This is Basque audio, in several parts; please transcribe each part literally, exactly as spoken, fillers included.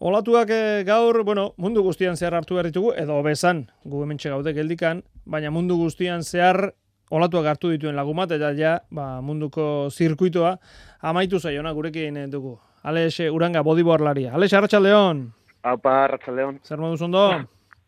Olatuak e, gaur, bueno, mundu guztian zehar hartu behar ditugu, edo bezan, gu hementxe gaude geldikan, baina mundu guztian zehar olatuak hartu dituen lagumat, eta ja, ba, munduko zirkuitoa amaitu zaiona gurekin dugu. Alex Uranga, bodyboardlaria. Alex, arratsaldeon. Aupa, arratsaldeon. Zer moduz ondo?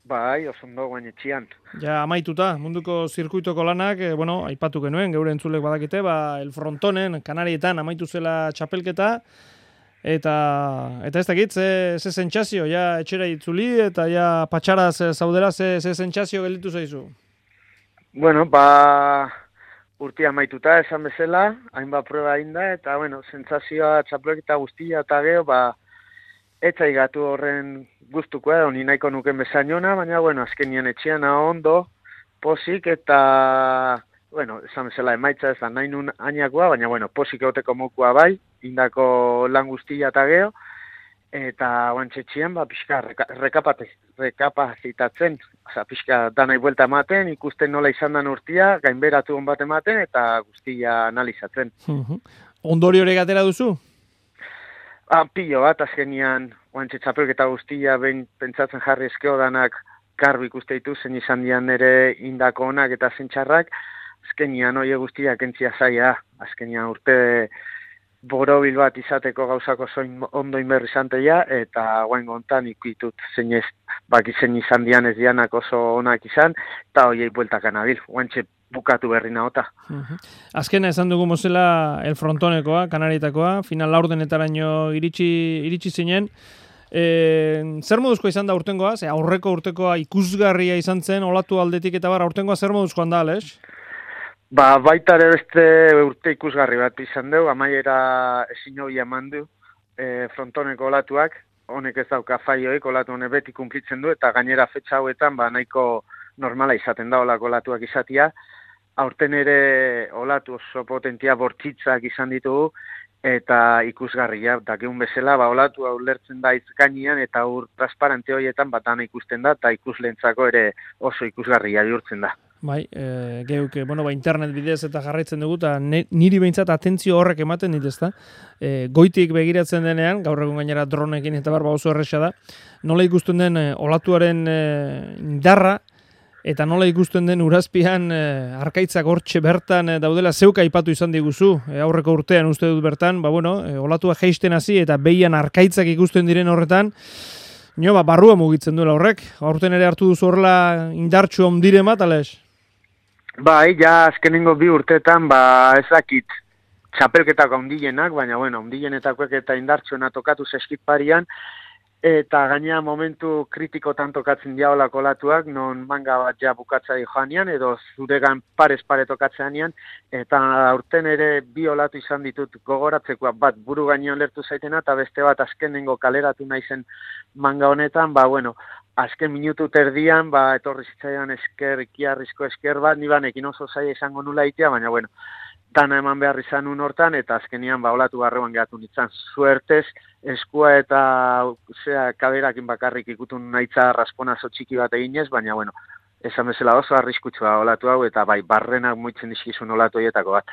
Bai, oso ondo guain etxian. Ja, amaituta, munduko zirkuitoko lanak, e, bueno, aipatu genuen, geure entzulek badakite, ba, el frontonen, Kanarietan amaitu zela txapelketa, Eta eta ez dakit, ze, ze sentsazio, ja etxera itzuli, eta ja patxaraz zaudera, ze, ze sentsazio gelditu zaizu? Bueno, ba, urtia amaituta esan bezala, hainbat proba ainda, eta, bueno, sentsazioa txapelketa guztia eta geho, ba, etxai gatu horren guztuko edo, ni nahiko nuken bezainona, baina, bueno, azkenian etxean ondo, posik, eta, bueno, esan bezala emaitza ez da nahi nun ainakoa, baina, bueno, posik egoteko mokua bai, indako lan guztia eta geho, eta guantxetxien, ba, pixka rekapate, rekapazitatzen, oza, pixka danai buelta ematen, ikusten nola izan dan urtia, gainberatu hon bat ematen, eta guztia analizatzen. Ondori hori gatera duzu? Ah, pilo bat, azkenian, guantxe txapelketa guztia, behin pentsatzen jarri eskeo danak, garbi ikuste ditu, zen izan dian nire indako onak eta zentxarrak, azkenian oie guztia kentzia zaia, azkenian urte borobil bat izateko gauzako zoin ondo inberri zanteia, eta guain gontan ikitut zeinez, baki zein izan dian ez dianak oso onak izan, eta oiei bueltak anabil, guantxe bukatu berri naota. Uh-huh. Azkena esan dugu mozela el frontonekoa, Kanarietakoa, final laurdenetaraino iritsi, iritsi zinen, e, zer moduzkoa izan da urtengoa, ze aurreko urtekoa ikusgarria izan zen, olatu aldetik eta bar, urtengoa zer moduzkoan da, Alex? Ba, baita ere beste urte ikusgarri bat izan dugu, amaiera ezin hori eman du e, frontoneko olatuak, honek ez dauka faioik, olatu honek beti kumplitzen du, eta gainera fetxa hauetan ba, nahiko normala izaten da olako olatuak izatia. Aurten ere olatu oso potentia bortzitzak izan ditugu, eta ikusgarria, dakiun bezala, ba, olatu hau lertzen da izkainian, eta ur transparente horietan bat dana ikusten da, eta ikuslentzako ere oso ikusgarria bihurtzen da. Bai, e, geuk, bueno, ba, internet bidez eta jarraitzen dugu, eta niri behintzat atentzio horrek ematen dit, ezta? E, goitik begiratzen denean, gaur egun gainera dronekin eta barba oso erresa da, nola ikusten den e, olatuaren e, indarra, eta nola ikusten den urazpian e, arkaitzak hortxe bertan e, daudela zeuka aipatu izan diguzu, e, aurreko urtean uste dut bertan, ba, bueno, e, olatua jeisten hasi eta behian arkaitzak ikusten diren horretan, nio, ba, barrua mugitzen duela horrek, aurten ere hartu duzu horrela indartxu ondire bat, Alex? Bai, ja azkenengo bi urteetan, ba, ez dakit txapelketako ondienak, baina, bueno, ondienetakoek eta indartsuena tokatu zeskit parian, eta gainea momentu kritikotan tokatzen diaolako olatuak, non manga bat ja bukatzai joanian, edo zuregan parez pare tokatzeanian, eta aurten ere bi olatu izan ditut gogoratzekoa, bat buru gainean lertu zaitena, eta beste bat azkenengo kaleratu naizen manga honetan, ba, bueno, azken minutu terdian, ba, etorri zitzaidan esker, ikiarrizko esker bat, nibanekin oso zaila izango nula itea, baina, bueno, dana eman behar izan un hortan, eta azkenian, ba, olatu barruan gehatu nintzen. Suertez, eskua eta, zera, kaberakin bakarrik ikutun nahitza rasponazo txiki bat eginez, baina, bueno, esan bezala oso arriskutsua olatu hau, eta bai, barrenak muitzen dizkizun olatu horietako bat.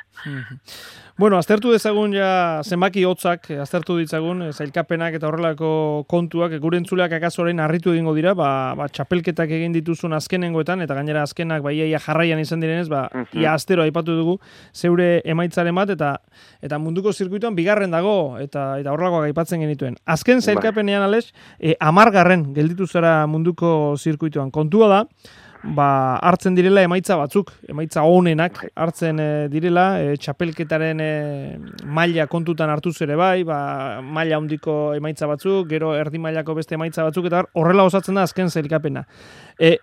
Bueno, aztertu dezagun ja zenbaki hotzak, aztertu ditzagun, zailkapenak eta horrelako kontuak, gure entzuleak akaso orain harritu egingo dira, ba, ba txapelketak egin dituzun azkenengoetan, eta gainera azkenak ba, ia jarraian izan direnez, ba, uh-huh. ia astero aipatu dugu, zeure emaitzaren bat, eta eta munduko zirkuituan bigarren dago, eta eta horrelakoak aipatzen genituen. Azken zailkapenean, Alex, e, amargarren gelditu zara munduko zirkuituan. Kontua da, ba, hartzen direla emaitza batzuk, emaitza honenak hartzen e, direla, e, txapelketaren e, maila kontutan hartuz ere bai, ba, maila handiko emaitza batzuk, gero erdi mailako beste emaitza batzuk, eta horrela osatzen da azken zailkapena. E,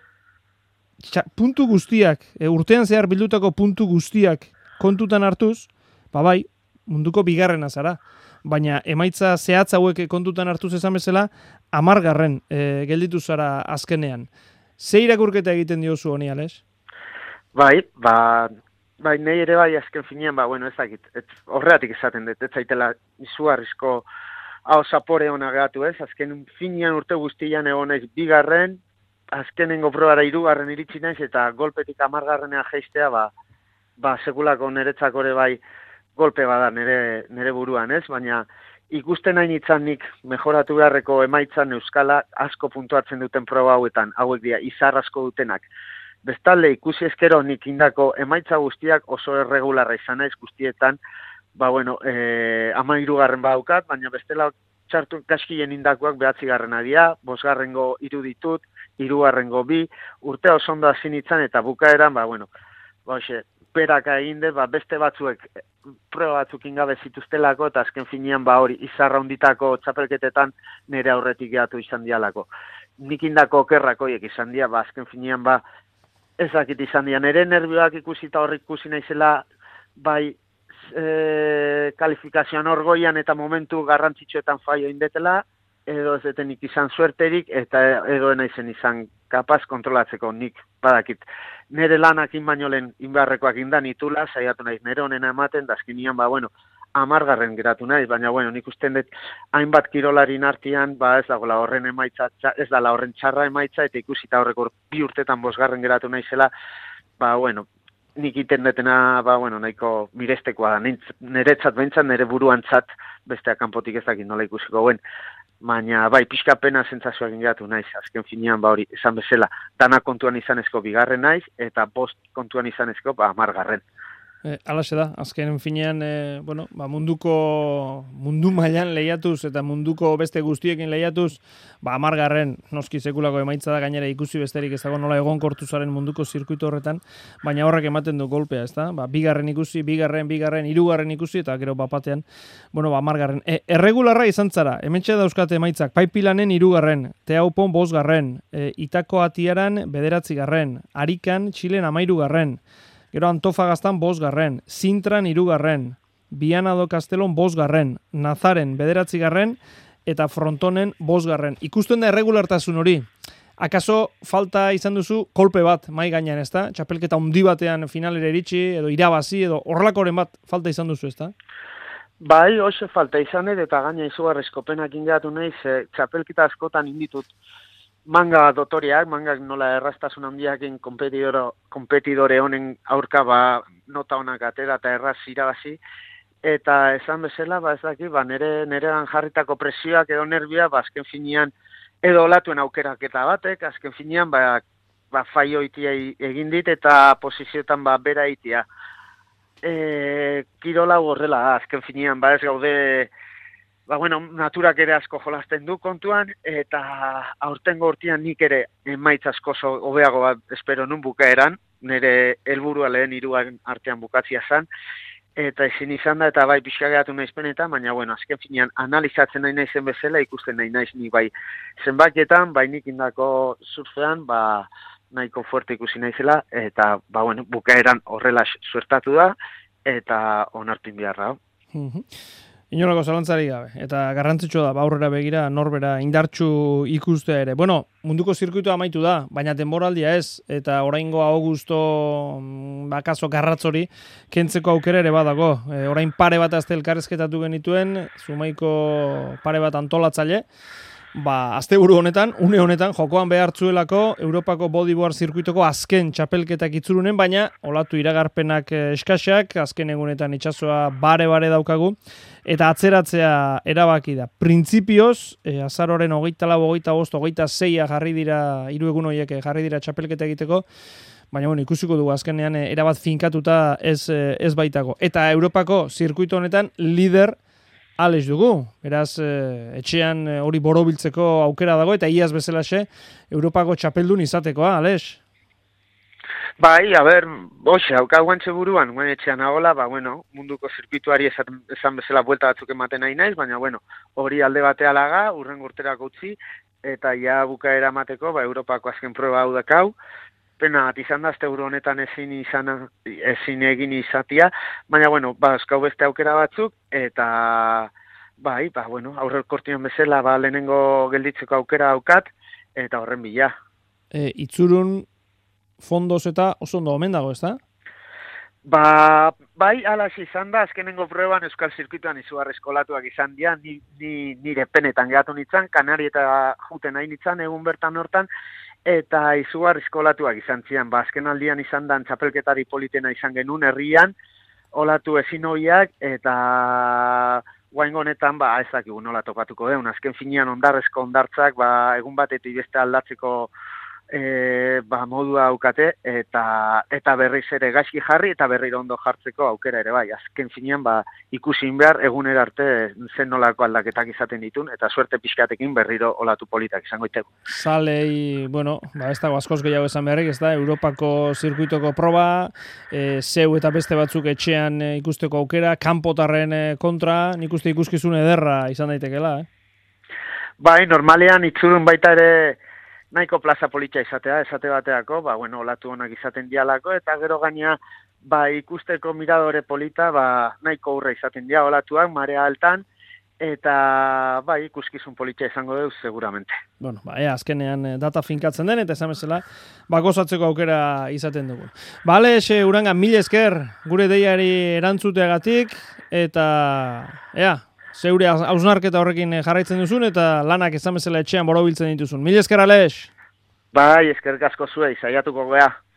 txa, puntu guztiak, e, urtean zehar bildutako puntu guztiak kontutan hartuz, ba bai, munduko bigarrena zara. Baina emaitza zehatz hauek kontutan hartuz esan bezala, hamargarren e, gelditu zara azkenean. Ze irakurketa egiten diozu honi, Alex? Bai, ba, bai, nahi ere bai azken finean, ba, bueno, ez dakit, ez, horreatik esaten dut, ez zaitela izugarrizko hau zapore hona gehatu ez, azken finean urte guztian egonez bigarren, azkenengo probara hirugarren iritsi naiz, eta golpetik amargarrenea jeistea, ba, ba, sekulako niretzako ere bai golpe bada nire, nire buruan ez, baina ikusten nahi nintzen nik mejoratu beharreko emaitzan euskala asko puntuatzen duten proba hauetan, hauek dira, izar asko dutenak. Bestalde, ikusi eskero nik indako emaitza guztiak oso erregularra izan naiz guztietan, ba bueno, e, ama irugarren badaukat, baina bestela txartu gaskien indakoak behatzi garrena dira, bosgarrengo hiru ditut, hirugarrengo bi, urte oso ondo hasi nintzen eta bukaeran, ba bueno, ba hoxe, peraka egin dut, ba beste batzuek proba batzuk ingabe zituztelako, eta azken finean ba hori izarra hunditako txapelketetan nire aurretik gehatu izan dialako. Nik indako okerrak horiek izan dira, ba azken finean ba ezakit izan dira, nire nervioak ikusi eta horrik ikusi naizela, bai e, kalifikazioan orgoian eta momentu garrantzitsuetan faio indetela, edo ez detenik izan suerterik, eta edo naizen izan kapaz kontrolatzeko nik badakit. Nere lanakin baino lehen inbarrekoak indan itula, saiatu naiz nere honena ematen, dazkinian, ba, bueno, amargarren geratu naiz, baina, bueno, nik usten dut, hainbat kirolarin artean, ba, ez dagoela horren emaitza, ez dala horren txarra emaitza, eta ikusita horreko bi urtetan bosgarren geratu naizela, ba, bueno, nik iten detena, ba, bueno, nahiko mirestekoa da, niretzat behintzat, nire buruantzat, besteak kanpotik ez dakit nola ikusiko guen, baina bai, pixka pena zentzazioak ingatu naiz, azken finean, ba hori, esan bezala, dana kontuan izanezko bigarren naiz, eta bost kontuan izanezko, ba, amargarren. E, alaxe da, azken finean, e, bueno, ba, munduko, mundu mailan lehiatuz, eta munduko beste guztiekin lehiatuz, ba, amargarren, noski sekulako emaitza da, gainera ikusi besterik ez dago nola egonkortu zaren munduko zirkuito horretan, baina horrek ematen du golpea, ez da? Ba, bigarren ikusi, bigarren, bigarren, hirugarren ikusi, eta gero bapatean, bueno, ba, amargarren. E, erregularra izan zara, hementxe dauzkate emaitzak, Paipilanen hirugarren, Teaupon bosgarren, e, Itako Atiaran bederatzigarren, Arikan, Txilen amairugarren, gero Antofagaztan bosgarren, Sintran hirugarren, Viana do Castellon bosgarren, Nazaren bederatzigarren, eta Frontonen bosgarren. Ikusten da erregulartasun hori. Akaso falta izan duzu kolpe bat mai gainean, ezta? Txapelketa handi batean finalera iritsi, edo irabazi, edo horrelakoren bat falta izan duzu, ezta? Bai, oso falta izan dut, eta gaina izugarrizko penak ingatu nahi, ze txapelketa askotan inditut manga dotoriak, mangak nola erraztasun handiakin kompetidore honen aurka ba, nota honak atera eta erraz irabazi, eta esan bezala, ba ez daki, ba nere, nerean jarritako presioak edo nervia, ba azken finean, edo olatuen aukeraketa batek, azken finean, ba, ba faio itia egin dit, eta posizioetan ba bera itia. E, kirola horrela, azken finean, ba ez gaude, ba, bueno, naturak ere asko jolasten du kontuan, eta aurtengo urtean nik ere emaitz asko hobeago bat espero nun bukaeran, nire helburua lehen hiruaren artean bukatzia zen, eta ezin izan da, eta bai pixka geratu naizpen eta, baina, bueno, azken finean analizatzen nahi naizen bezala, ikusten nahi naiz ni bai zenbaketan, bai nik indako surfean, ba, nahiko fuerte ikusi naizela, eta, ba, bueno, bukaeran horrela suertatu da, eta onartin beharra. Mhm. Inolako zalantzari gabe, eta garrantzitsua da, aurrera begira, norbera indartsu ikustea ere. Bueno, munduko zirkuitua amaitu da, baina denboraldia ez, eta oraingo Augusto bakaso garratzori kentzeko aukera ere badago. E, orain pare bat azte elkarrezketatu genituen, Zumaiko pare bat antolatzaile, ba, asteburu honetan, une honetan, jokoan behartzuelako Europako bodyboard zirkuitoko azken txapelketak itzurunen, baina olatu iragarpenak eskaxak, azken egunetan itsasoa bare-bare daukagu, eta atzeratzea erabaki da. Printzipioz, e, azaroren hogeita lau, hogeita bost, hogeita zeia jarri dira, hiru egun horiek jarri dira txapelketa egiteko, baina bueno, ikusiko dugu azkenean erabat finkatuta ez, ez baitago. Eta Europako zirkuito honetan lider Alex dugu, beraz, etxean hori borobiltzeko aukera dago, eta iaz bezalaxe, Europako txapeldun izatekoa, Alex? Bai, a ber, boxe, haukaguantxe buruan, guen etxean agola, ba, bueno, munduko zirkuituari esan, esan bezala buelta batzuk ematen nahi naiz, baina, bueno, hori alde batea laga, urren urterako utzi, eta ja bukaera mateko, ba, Europako azken proba hau dakau, pena bat izan da, azte euro honetan ezin izan, ezin egin izatia, baina, bueno, ba, eskau beste aukera batzuk, eta, bai, ba, bueno, aurre kortian bezala, ba, lehenengo gelditzeko aukera aukat, eta horren bila. E, itzurun fondoz eta oso ondo omen dago, ez da? Ba, bai, alas izan da, azkenengo proban Euskal Zirkuituan izugarrizko olatuak izan dira, ni, ni, nire penetan gehatu nintzen, Kanari eta juten nahi nintzen, egun bertan hortan, eta izugarrizko olatuak izan zian, ba, azken aldian izan dan txapelketari politena izan genuen herrian, olatu ezin hoiak, eta guaingo honetan, ba, ezakigu nola topatuko deun. Azken finean ondarrezko ondartzak, ba, egun batetik beste aldatzeko e, ba, modua aukate, eta eta berriz ere gaizki jarri, eta berriro ondo jartzeko aukera ere bai. Azken finean, ba, ikusin behar egunera arte zen nolako aldaketak izaten ditun, eta suerte pixkatekin berriro olatu politak izango iteko. Zalei, bueno, ba, ez dago askoz gehiago esan beharrik, ez da, Europako zirkuitoko proba, e, zeu eta beste batzuk etxean e, ikusteko aukera, kanpotarren e, kontra, nik uste ikuskizun ederra izan daitekela, eh? Bai, normalean itzurun baita ere nahiko plaza politxa izatea, esate bateako, ba, bueno, olatu honak izaten dialako, eta gero gaina, ba, ikusteko miradore polita, ba, nahiko urra izaten dia olatuak, marea altan, eta, bai, ikuskizun politxa izango deuz, seguramente. Bueno, ba, ea, azkenean data finkatzen den, eta esan bezala, ba, gozatzeko aukera izaten dugu. Ba, Alex, Uranga, mil esker, gure deiari erantzuteagatik, eta, ea, zeure hausnarketa horrekin jarraitzen duzun, eta lanak esan bezala etxean borobiltzen dituzun. Mil esker, Alex! Bai, eskerrik asko zuei, saiatuko gea.